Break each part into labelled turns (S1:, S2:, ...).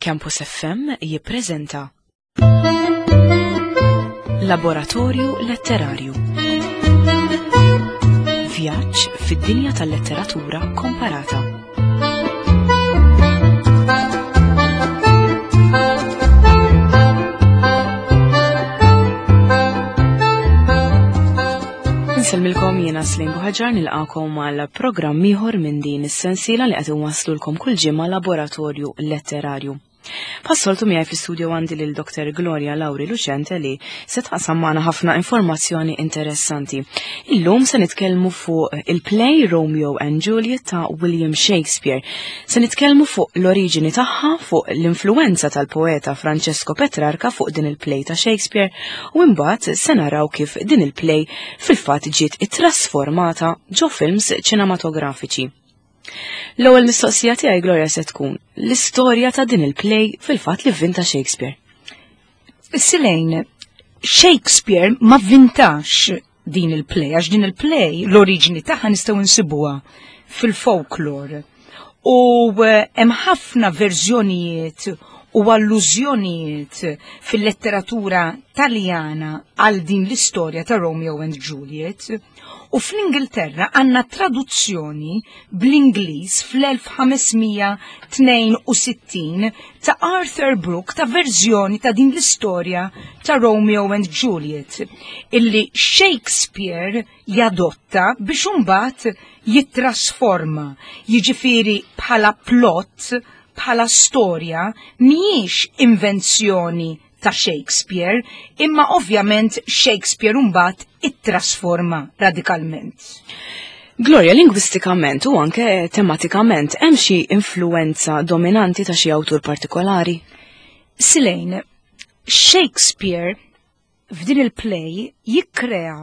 S1: Campus FM jippreżenta Laboratorju Letterarju. Vjaġġ fid-dinja tal-letteratura komparata. Insellmilkom jiena Slim Buħaġar nilqakom għal programm ieħor minn din is-sensiela li qed inwasslulkom kull ġimgħa laboratorju letterarju. Passoltu miegħi fl-istudio għandi lil Dr. Gloria Lauri Lucente li se taqsam magħna ħafna informazzjoni interessanti. Illum se nitkellmu fuq il-play Romeo and Juliet ta' William Shakespeare. Se nitkellmu fuq l-oriġini tagħha, fuq l-influenza tal-poeta Francesco Petrarca fuq din il-play ta' Shakespeare u imbagħad se naraw kif din il-play fil-fatt ġiet ittrasformata ġo films ċinematografiċi. L-ewwel mistoqsija tiegħi Gloria se tkun l-istorja ta' din il-play fil-fatt li vvinta Shakespeare.
S2: Silejn, Shakespeare ma vvintax din il-play, għax din il-play l-oriġini tagħha nistgħu nsibuha fil-folklore. U eh, hemm ħafna verżjonijiet u allużjonijiet fil-letteratura taljana għal din l-istorja ta' Romeo and Juliet. U fl-Ingilterra għandna traduzzjoni bl-Ingliż fl-1562 ta' Arthur Brooke ta' verżjoni ta' din l-istorja ta' Romeo and Juliet illi Shakespeare jadotta biex imbagħad jittrasforma, jiġifieri bħala plot, bħala storja mhijiex invenzjoni ta' Shakespeare, imma ovvjament Shakespeare mbagħad ittrasforma radikalment.
S1: Gloria, lingwistikament u anke tematikament, hemm xi influenza dominanti ta' xi awtur partikolari?
S2: Silejn, Shakespeare f'din il-play jikkrea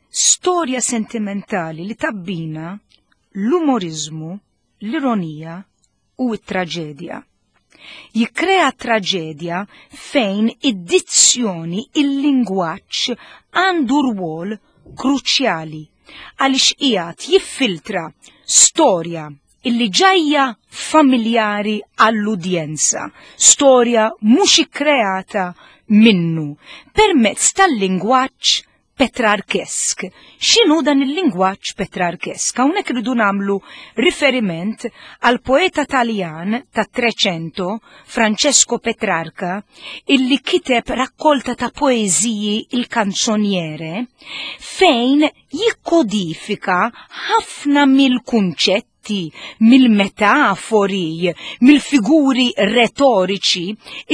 S2: storja sentimentali li tabbina l-umorizmu, l-ironija u t-traġedja. Jikkrea traġedja fejn id-dizzjoni, il-lingwaġġ għandu rwol kruċjali għaliex qiegħed jiffiltra storja illi ġajja familjari għall-udjenza, storja mhux ikkreata minnu permezz tal-lingwaġġ Petrarkesk. X'inhu dan il-lingwaġġ Petrarkesk? Hawnhekk irridu nagħmlu riferiment għal poeta Taljan tat-Trecento, Francesco Petrarca, illi kiteb rakkolta ta' poeżiji il-Canzoniere, fejn jikkodifika ħafna mill-kunċetti mill-fatti, mill-metafori, mill-figuri retoriċi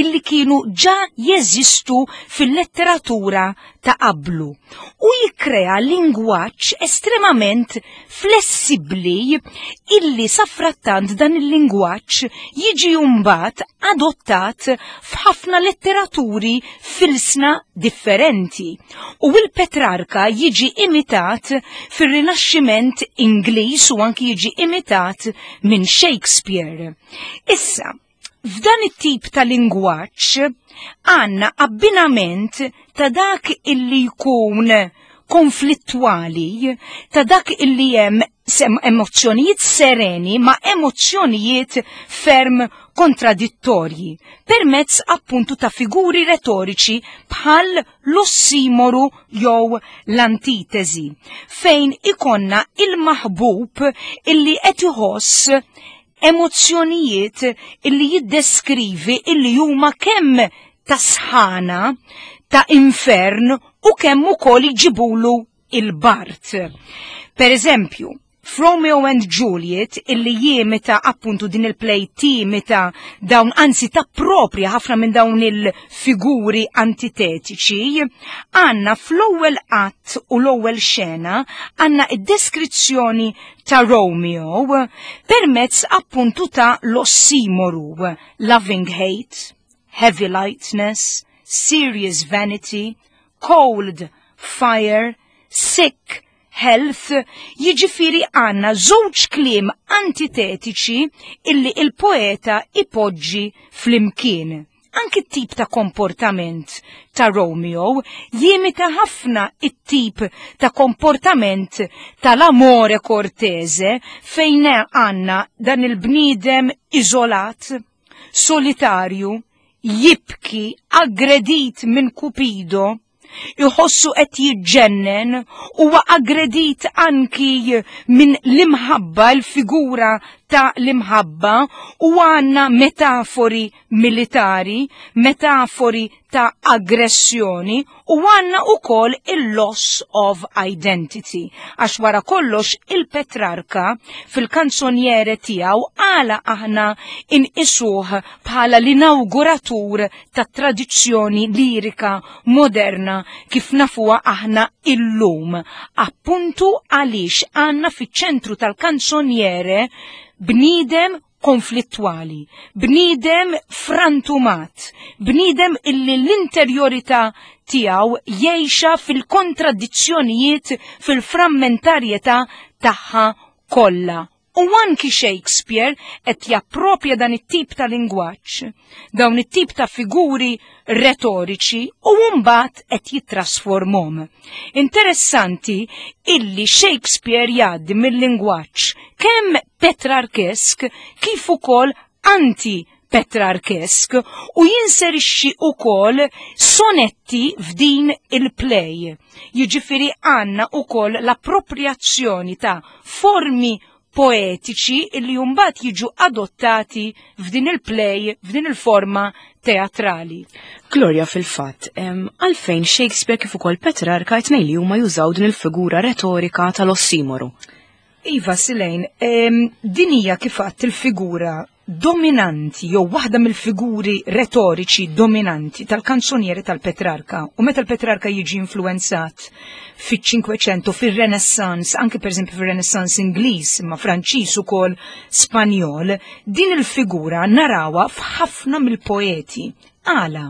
S2: illi kienu ġa jeżistu fil-letteratura ta' qablu u jikkrea lingwaġġ estremament flessibbli illi safrattant dan il-lingwaġġ jiġi mbagħad adottat f'ħafna letteraturi f'ilsna differenti u il-Petrarka jiġi imitat fir-Rinaxximent Ingliż u anki jiġi imitat minn Shakespeare. Issa, f'dan it-tip ta' lingwaġġ għandna abbinament ta' dak illi jkun konflittwali, ta' dak illi hemm sem emozzjonijiet sereni ma' emozzjonijiet ferm kontradittorji, permezz appuntu ta' figuri retoriċi bħal l-ossimoru jew l-antitesi, fejn ikonna il-maħbub illi qed iħoss emozzjonijiet illi jiddeskrivi illi huma kemm ta' sħana, ta' infern u kemm ukoll iġibulu il-Bart. Per eżempju, f'Romeo and Juliet illi jimita appuntu din il-play timita dawn anzi ta' propria ħafna minn dawn il-figuri antitetiċi, għanna fl-ewwel att u l-ewwel xena għanna id-deskrizzjoni ta' Romeo permezz appuntu ta' l-ossimoru loving hate, heavy lightness, serious vanity, cold fire, sick, health, jiġifieri għandna żewġ kliem antitetiċi illi il-poeta ipoġġi flimkien. Anki t-tip ta' komportament ta' Romeo jimita ħafna it-tip ta' komportament tal-amore kortese fejn għandna dan il-bniedem iżolat, Solitarju, jibki, aggredit minn Kupido, iħossu qed jiġġennen, huwa aggredit anki minn l-imħabba, l-figura ta' l-imħabba, u għandna metafori militari, metafori ta' aggressjoni u għandna ukoll il-loss of identity. Għax wara kollox il-Petrarka fil-kanzoniere tiegħu għala aħna inqisuh bħala l-inawguratur ta' tradizzjoni lirika moderna kif nafuha aħna illum. Appuntu għaliex għandna fiċ-ċentru tal-kanzoniere bniedem konflittwali, bniedem frantumat, bniedem illi l-interjorità tiegħu jgħixha fil-kontradizzjonijiet, fil-frammentarjetà tagħha kollha. U anki Shakespeare qed jappropja dan it-tip ta' lingwaġġ, dawn it-tip ta' figuri retoriċi u mbagħad qed jittrasformhom. Interessanti illi Shakespeare jgħaddi mill-lingwaġġ kemm Petrarkesk kif ukoll anti Petrarkesk u jinserixxi ukoll sonetti f'din il-play. Jiġifieri għandna ukoll l-appropriazzjoni ta' formi poetiċi illi mbagħad jiġu adottati f'din il-play, f'din il-forma teatrali.
S1: Gloria fil-fatt, għalfejn Shakespeare kif ukoll Petrarca tnejn li huma jużaw din il-figura retorika tal-ossimoru.
S2: Iva, Silejn, din hija kif għadt il-figura dominanti jew waħda mill-figuri retoriċi dominanti tal-kanzonieri tal-Petrarka. U meta l-Petrarka jiġi influenzat fiċ-Cinquecento, fir-Renaissance, anke pereżempju fir-Renaissance Ingliż, imma Franċiż ukoll Spanjol, din il-figura narawha f'ħafna mill-poeti. Għala?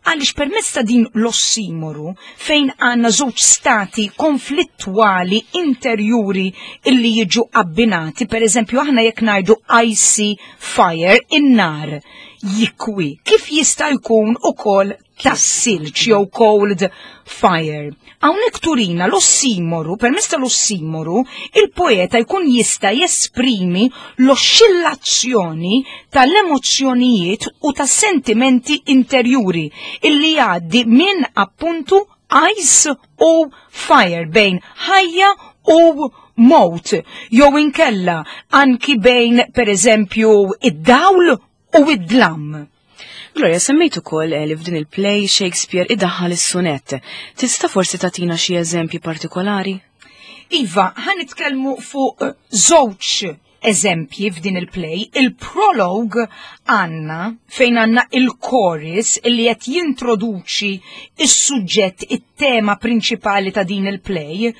S2: Għaliex permezz ta' din l-ossimoru fejn għandna żewġ stati konflittwali interjuri illi jiġu abbinati, per eżempju aħna jekk ngħidu icy fire, in-nar jikwi, kif jista' jkun ukoll tas-silġ jew cold fire. Hawnhekk turina l-ossimoru, permezz tal-ossimoru, il-poeta jkun jista' jesprimi l-oscillazzjoni tal-emozzjonijiet u tas-sentimenti interjuri illi jgħaddi minn appuntu ice u fire bejn ħajja u mowt, jew inkella anki bejn pereżempju id-dawl u id-dlam.
S1: Gloria, semmejt ukoll li f'din il-play Shakespeare idaħħal is-sunett. Tista' forsi tagħtina xi eżempji partikolari?
S2: Iva, ħa nitkellmu fuq żewġ eżempji f'din il-play. Il-prologue għandna fejn għandna il-chorus li qed jintroduċi is-suġġett, it-tema prinċipali ta' din il-play.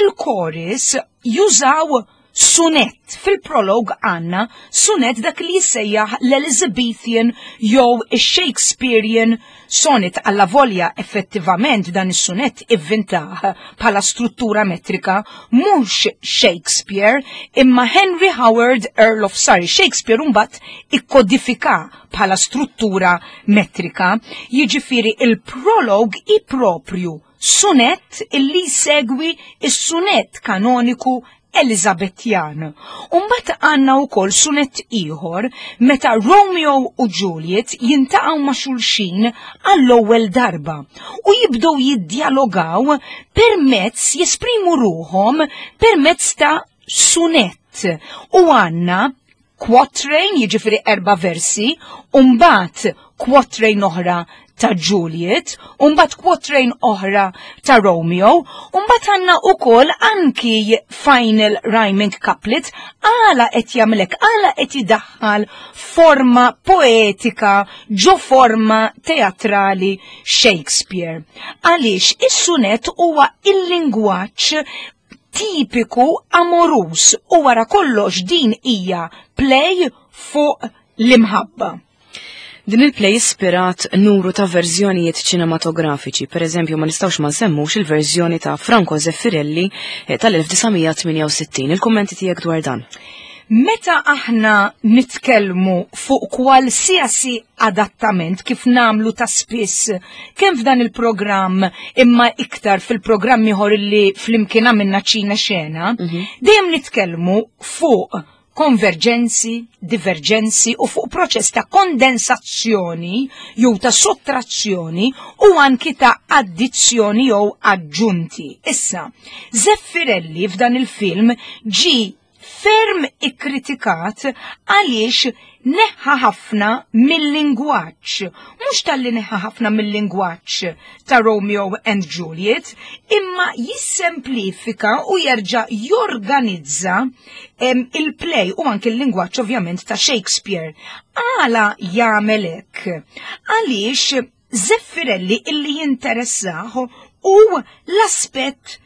S2: Il-chorus jużaw sunett. Fil-prolog għandna sunett dak li jissejjaħ l-Elizabethan jew ix-Shakespearean sonnet alla volja effettivament dan is-sunett ivvintah bħala struttura metrika mhux Shakespeare imma Henry Howard Earl of Surrey. Shakespeare mbagħad ikkodifika bħala struttura metrika, jiġifieri il-prolog i propju sunett illi jsegwi is-sunett kanoniku Elizabettjan. Umbat għanna u kol sunett ieħor meta Romeo u Juliet jintaqgħu ma' xulxin għall-ewwel darba u jibdew jiddjalogaw permezz jesprimu ruħhom permezz ta' sunett. U għanna quatrain, jiġifieri 4 versi, u mbagħad quatrain oħra ta' Juliet, u mbagħad quatrain oħra ta' Romeo, u mbagħad għandna wkoll anki final rhyming couplet. Għala qed jagħmlek, għala qed idaħħal forma poetika ġo forma teatrali Shakespeare. Għaliex is-sunet huwa il-lingwaġġ tipiku amorus u wara kollox din hija play fuq l-imħabba.
S1: Din il-play ispirat numru ta' verżjonijiet ċinematografiċi, per eżempju ma nistgħux ma nsemmux il-verżjoni ta' Franco Zeffirelli tal-1968. Il-kummenti tiegħek dwar dan?
S2: Meta aħna nitkellmu fuq kwalsiasi adattament kif namlu ta' spiss kemm f'dan il-programm imma iktar fil-programm ieħor li flimkien għamilna ċina xena, dejjem nitkellmu fuq Konverġenzi, diverġenzi u fuq proċess ta' kondensazzjoni jew ta' sottrazzjoni u anki ta' addizzjoni jew aġġunti. Issa, Zeffirelli f'dan il-film ġi ferm ikkritikat għaliex neħħa ħafna mill-lingwaġġ. Mhux talli neħħa ħafna mill-lingwaġġ ta' Romeo and Juliet, imma jissemplifika u jerġa' jorganizza il-play u anke l-lingwaġġ ovvjament ta' Shakespeare. Għala jagħmel hekk? Għaliex Zeffirelli illi jinteressah u l-aspett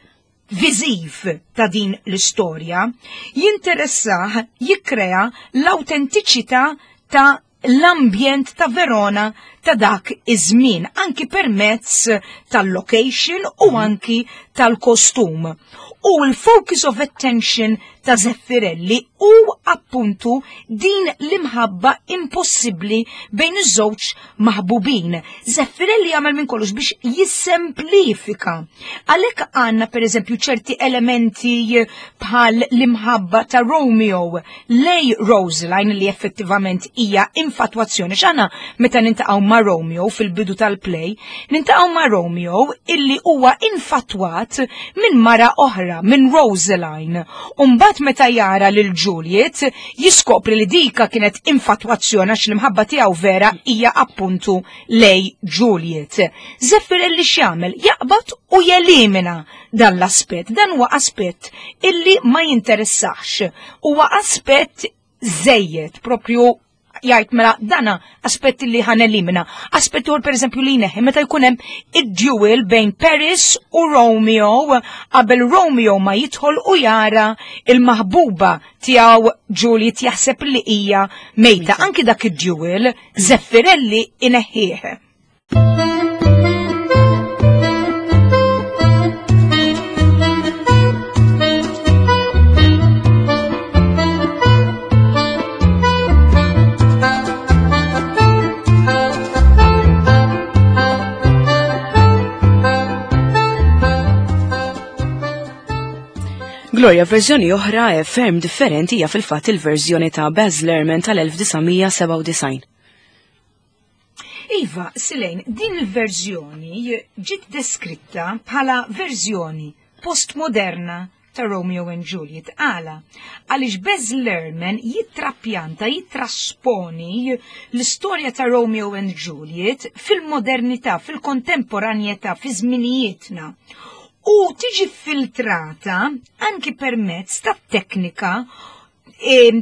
S2: viżiv ta' din l-istorja, jinteressah jikkrea l-awtentiċità ta' l-ambjent ta' Verona ta' dak iż-żmien, anki permezz tal-location u anki tal-kostum. U l-focus of attention ta' Zeffirelli u appuntu din l-imħabba impossibbli bejn iż-żewġ maħbubin. Zeffirelli jagħmel minn kollox biex jissemplifika. Għalhekk għandna pereżempju ċerti elementi bħal l-imħabba ta' Romeo lej Roseline li effettivament hija infatwazzjoni. X'għandna meta nintaqgħu ma' Romeo fil-bidu tal-play, nintaqgħu ma' Romeo illi huwa infatwat minn mara oħra, minn Roseline. Umbagħad meta jara lil Juliet, jiskopri li dika kienet infatwazzjoni għax l-imħabba tiegħu vera hija appuntu lej Juliet. Zeffirelli x'jagħmel? Jaqbad u jelimina dan l-aspett. Dan huwa aspett illi ma jinteressax. Huwa aspett żejjed propju jgħid mela dana aspetti li ħan elimina. Aspett ieħor pereżempju li jneħħi meta jkun hemm id-duel bejn Paris u Romeo qabel Romeo ma jidħol u jara il-maħbuba tiegħu Juliet jaħseb li hija mejta. Anki dak id-duel Zeffirelli ineħħih.
S1: Gloria, verżjoni oħra e ferm differenti hija fil-fatt il-verżjoni ta' Baz Luhrmann tal-1997.
S2: Iva, Silejn, din il-verżjoni ġiet deskritta bħala verżjoni postmoderna ta' Romeo and Juliet. Għala, għaliex Baz Luhrmann jittrapjanta, jittrasponi l-istorja ta' Romeo and Juliet fil-modernità, fil-kontemporanjetà, fi żminijietna. U tiġi filtrata anki permezz ta' teknika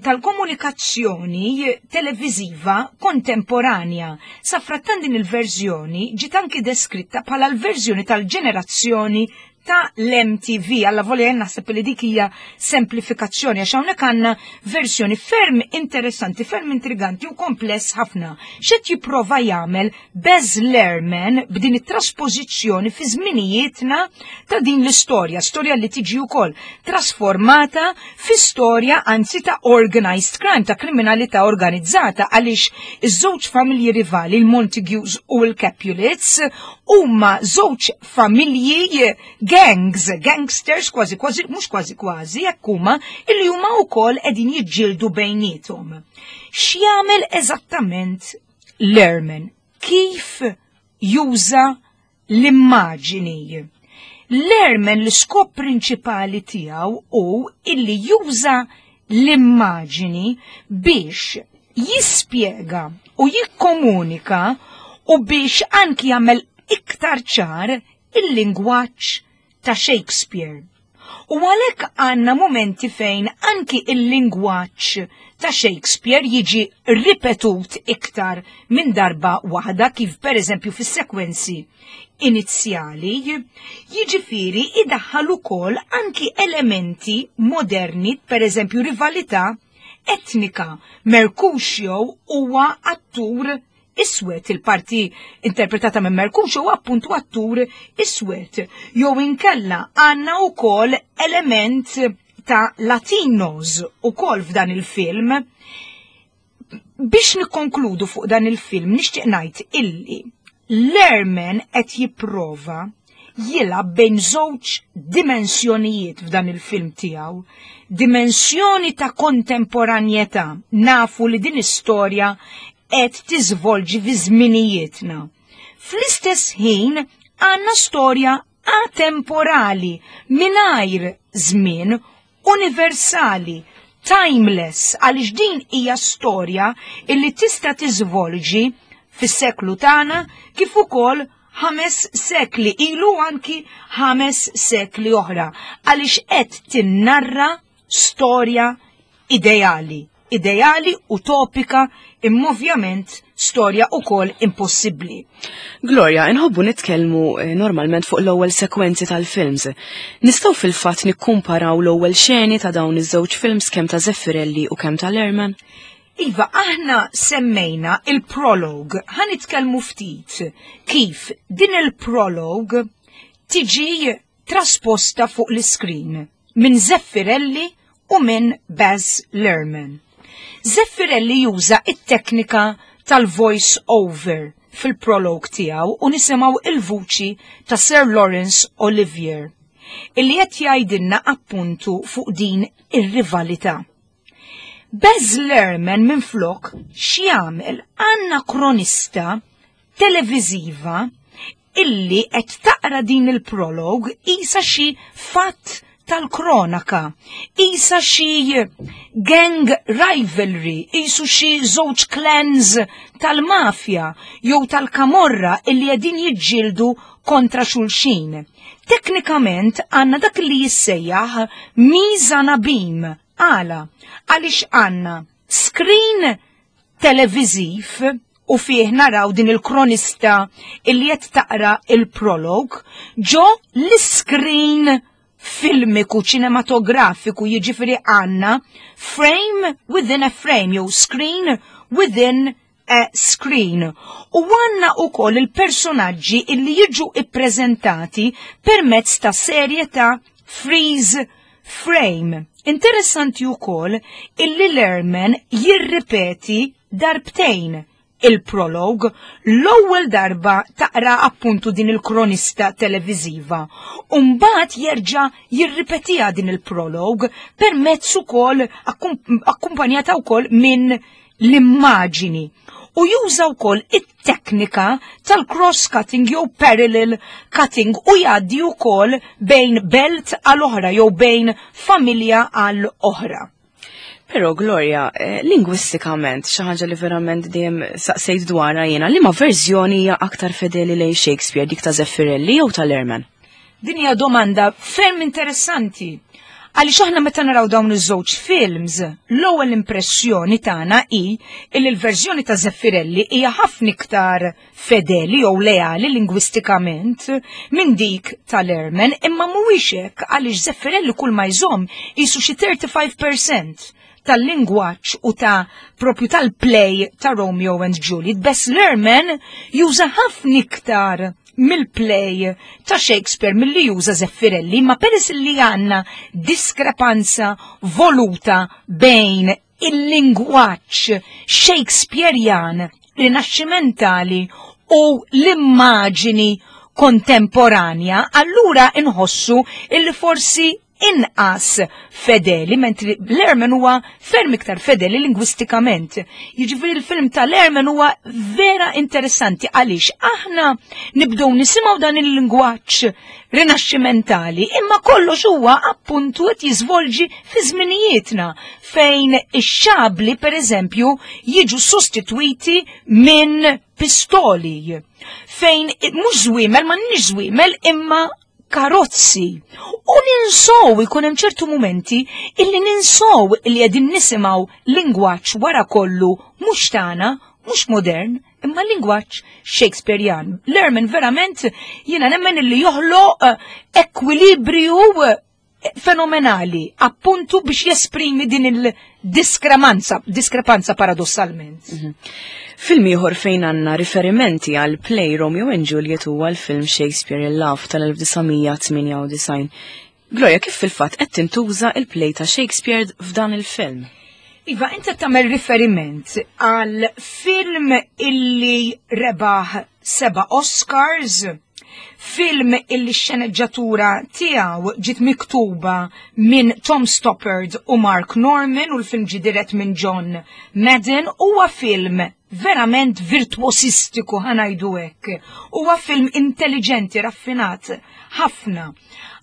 S2: tal-komunikazzjoni televiżiva kontemporanja. Safrattan din il-verżjoni ġiet anki deskritta bħala l-verżjoni tal-ġenerazzjoni ta' l-MTV. Alla volja naħseb li dik hija semplifikazzjoni għax hawnhekk għandna verżjoni ferm interessanti, ferm intriganti u kompless ħafna. X'qed jipprova jagħmel Baz Luhrmann b'din it-traspożizzjoni fi żminijietna ta' din l-istorja, storja li tiġi wkoll trasformata fi storja anzi ta' organized crime, ta' kriminalità organizzata, għaliex iż-żewġ familji rivali, il-Montagues u l-Capulets, huma żewġ familji gangs, gangsters kważi kważi, mhux kważi kważi, jekk huma illi huma wkoll qegħdin jiġġieldu bejniethom. X'jagħmel eżattament Luhrmann? Kif juża l-immaġini? Luhrmann l-iskop prinċipali tiegħu hu illi juża l-immaġini biex jispjega u jikkomunika u biex anki jagħmel iktar ċar il-lingwaġġ ta' Shakespeare. U għalhekk għandna momenti fejn anki il-lingwaġġ ta' Shakespeare jiġi ripetut iktar minn darba waħda, kif pereżempju fis-sekwenzi inizjali, jiġifieri idaħħal ukoll anki elementi moderni, pereżempju rivalità etnika. Mercutio huwa attur iswed, il-parti interpretata minn Mercutio huwa appuntu attur iswed. Jew inkella għandna wkoll element ta' Latinos ukoll f'dan il-film. Biex nikkonkludu fuq dan il-film, nixtieq ngħid illi Luhrmann qed jipprova jilgħab bejn żewġ dimensjonijiet f'dan il-film tiegħu. Dimensjoni ta' kontemporanjetà, nafu li din istorja qed tiżvolġi fi żminijietna. Fl-istess ħin għandna storja atemporali, mingħajr żmien, universali, timeless, għaliex din hija storja illi tista' tiżvolġi fis-seklu tagħna kif ukoll 5 sekli ilu anki 5 sekli oħra, għaliex qed tinnarra storja ideali, ideali utopika, imma ovvjament storja ukoll impossibbli.
S1: Gloria, inħobbu nitkellmu normalment fuq l-ewwel sekwenzi tal-films. Nistgħu fil-fatt nikkumparaw l-ewwel xeni ta' dawn iż-żewġ films kemm ta' Zeffirelli u kemm ta' Lerman?
S2: Iva, aħna semmejna il-prologue, ħa nitkellmu ftit kif din il-prologue tiġi trasposta fuq l-iskrin minn Zeffirelli u minn Baz Luhrmann. Zeffirelli juża it-teknika tal-voice over fil-prologue tiegħu u nisimgħu il-vuċi ta' Sir Laurence Olivier illi qed jgħidilna appuntu fuq din ir-rivalità. Baz Luhrmann minflok x'jagħmel għandna kronista televiżiva illi qed taqra din il-prologue isa xi fatt tal-kronaka, isa xi gang rivalry, isu xi żewġ clans tal-mafja jew tal-kamorra illi qegħdin jiġġieldu kontra xulxin. Teknikament għandna dak li jissejjaħ mise en abyme. Għala, għaliex għandna screen televiziv u fih naraw din il-kronista illi qed taqra il-prolog ġo l-screen filmiku ċinematografiku, jiġifieri għandna frame within a frame jew screen within a screen. U għandna ukoll il-personaġġi illi jiġu ippreżentati permezz ta' serje ta' freeze frame. Interessanti ukoll illi Lerman jirripeti darbtejn il-prolog, l-ewwel darba taqra appuntu din il-kronista televiziva, u mbagħad jerġa' jirripetiha din il-prolog permezz ukoll akkumpanjata wkoll minn l-immaġini. U juża wkoll it-teknika tal-cross-cutting jew parallel cutting u jgħaddi wkoll bejn belt għal oħra jew bejn familja għal oħra.
S1: Però Gloria, lingwistikament, xi ħaġa li verament dejjem saqsejt dwarha jiena, liema verżjoni hija aktar fedeli lejn Shakespeare, dik ta' Zeffirelli jew ta' Lerman?
S2: Din hija domanda ferm interessanti. Għaliex aħna meta naraw dawn iż-żewġ films, l-ewwel impressjoni tagħna hi li l-verżjoni ta' Zeffirelli hija ħafna iktar fedeli jew leali lingwistikament minn dik ta' Lerman, imma mhuwiex hekk għaliex Zeffirelli kull ma jżomm qisu xi 35% tal-lingwaġġ u ta' propju tal-play ta' Romeo and Juliet. Baz Luhrmann juża ħafna iktar mill-play ta' Shakespeare milli juża Zeffirelli, ma peress li għandna diskrepanza voluta bejn il-lingwaġġ Shakespearean rinaxximentali u l-immaġini kontemporanja, allura inħossu illi forsi inqas fedeli, mentri Lerman huwa ferm iktar fedeli lingwistikament. Jiġifieri l-film ta' Lerman huwa vera interessanti għaliex aħna nibdew nisimgħu dan il-lingwaġġ rinaxximentali, imma kollox huwa appuntu qed jiżvolġi fi żminijietna fejn ix-xabli pereżempju jiġu sostitwiti minn pistoli, fejn mhux żwiemel, ma nix żwiemel imma karozzi. U ninsow, ikun hemm ċertu mumenti illi ninsow illi qegħdin nisimgħu lingwaġġ wara kollu mhux tagħna, mhux modern, imma lingwaġġ Shakespearean. Lerman verament jiena nemmen illi joħloq ekwilibrju fenomenali, appuntu biex jesprimi din il-diskrepanza, diskrepanza paradossalment.
S1: Film ieħor fejn għandna riferimenti għal play Romeo and Juliet huwa l-film Shakespeare in Love tal-1998. Gloria, kif fil-fatt qed tintuża il-play ta' Shakespeare f'dan il-film?
S2: Iva, inta tagħmel riferiment għal film illi rebaħ 7 Oscars, Film illi x-xeneġġatura tiegħu ġiet miktuba minn Tom Stoppard u Mark Norman u l-film ġie dirett minn John Madden huwa film verament virtuosistiku ħa ngħidu hekk. Huwa film intelligenti, raffinat ħafna.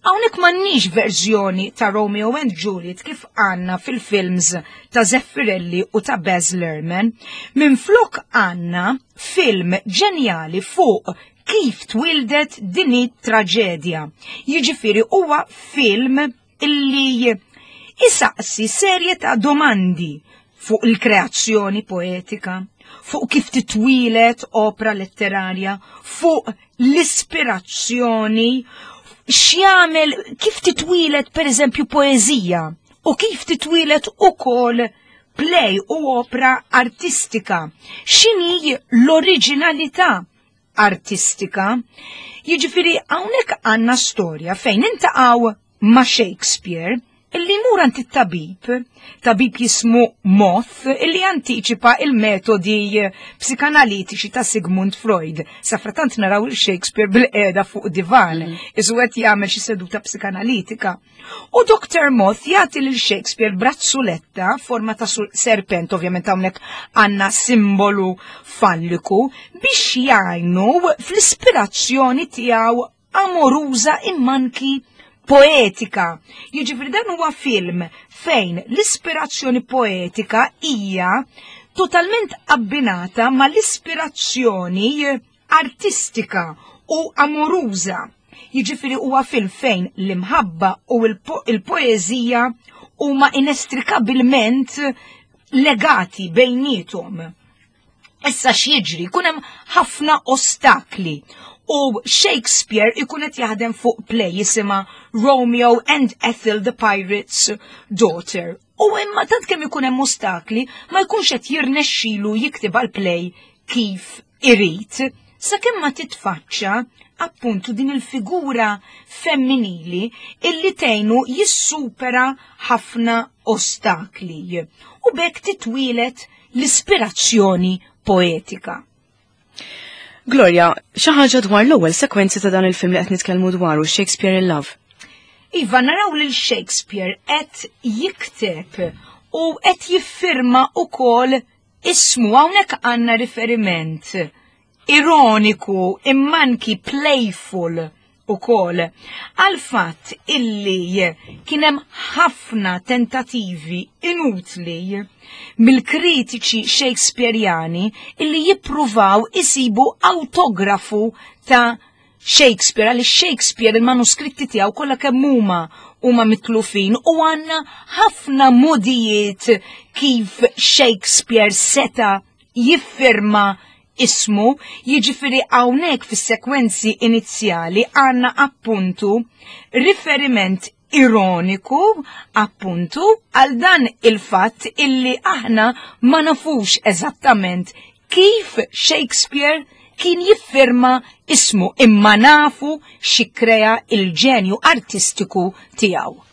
S2: Hawnhekk m'għandniex verżjoni ta' Romeo and Juliet kif għandna fil-films ta' Zeffirelli u ta' Baz Luhrmann. Minflok għandna film ġenjali fuq kif twildet din it-traġedja. Jiġifieri huwa film illi isaqsi serje ta' domandi fuq il-kreazzjoni poetika, fuq kif titwilet opra letterarja, fuq l-ispirazzjoni, x'jagħmel kif titwilet pereżempju poeżija u kif titwilet ukoll play u opra artistika. X'inhi l-oriġinalità artistika? Jiġifieri hawnhekk għandna storja fejn intaqgħu ma' Shakespeare illi jmur għand it-tabib, tabib jismu Moth, illi antiċipa il-metodi psikanalitiċi ta' Sigmund Freud. Safratant naraw il-Shakespeare bil-qeda fuq divan, isu qed jagħmel xi seduta psikanalitika. U Dr. Moth jagħti lil Shakespeare brazzuletta forma ta' serpent, ovvjament hawnhekk għandna simbolu falliku, biex jgħinu fl-ispirazzjoni tiegħu amoruża immanki poetika. Jiġifieri dan huwa film fejn l-ispirazzjoni poetika hija totalment abbinata mal-ispirazzjoni artistika u amoruża. Jiġifieri huwa film fejn l-imħabba u l-poeżija huma inestrikabilment legati bejniethom. Issa x'jiġri, jkun hemm ħafna ostakli u Shakespeare ikun qed jaħdem fuq play jisimha Romeo and Ethel the Pirate's Daughter. U imma tant kemm ikun hemm ostakli ma jkunx qed jirnexxilu jiktib għal play kif irid. Sakemm ma titfaċċa appuntu din il-figura femminili illi tgħinu jissupera ħafna ostakli. U bekk titwielet l-ispirazzjoni poetika.
S1: Gloria, xi ħaġa dwar l-ewwel sekwenzi ta' dan il-film li qed nitkellmu dwaru Shakespeare in Love.
S2: Iva, naraw lil Shakespeare qed jikteb u qed jiffirma ukoll ismu hawnhekk għandna riferiment ironiku immanki playful ukoll għal fatt illi kien hemm ħafna tentativi inutli mill-kritiċi Shakespeareani illi jippruvaw isibu autografu ta' Shakespeare għaliex Shakespeare il-manuskritti tiegħu kollha kemm huma huma mitlufin u għandna ħafna modijiet kif Shakespeare seta' jiffirma ismu, jiġifieri hawnhekk fis-sekwenzi inizjali għandna appuntu riferiment ironiku appuntu għal dan il-fatt illi aħna ma nafux eżattament kif Shakespeare kien jiffirma ismu imma nafu xi krea il-ġenju artistiku tiegħu.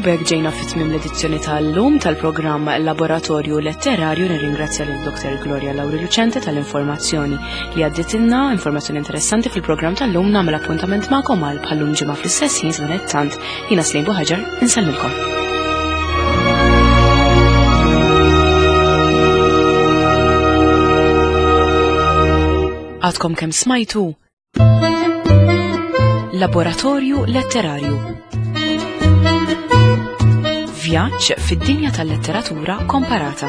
S1: b'hekk ġejna fi tmiem l-edizzjoni tal-lum tal-programm Laboratorju Letterarju nirringrazzja lil Dr. Gloria Lauri Lucente tal-informazzjoni li għadditilna, informazzjoni interessanti fil-programm tal-lum nagħmel appuntament magħkom għal bħallum ġimgħa fl-istess ħin sadanittant jiena Slim Buħaġar insellmilkom. Għadkom kemm smajtu Laboratorju Letterarju. Vjaġġ fid-dinja tal-letteratura komparata.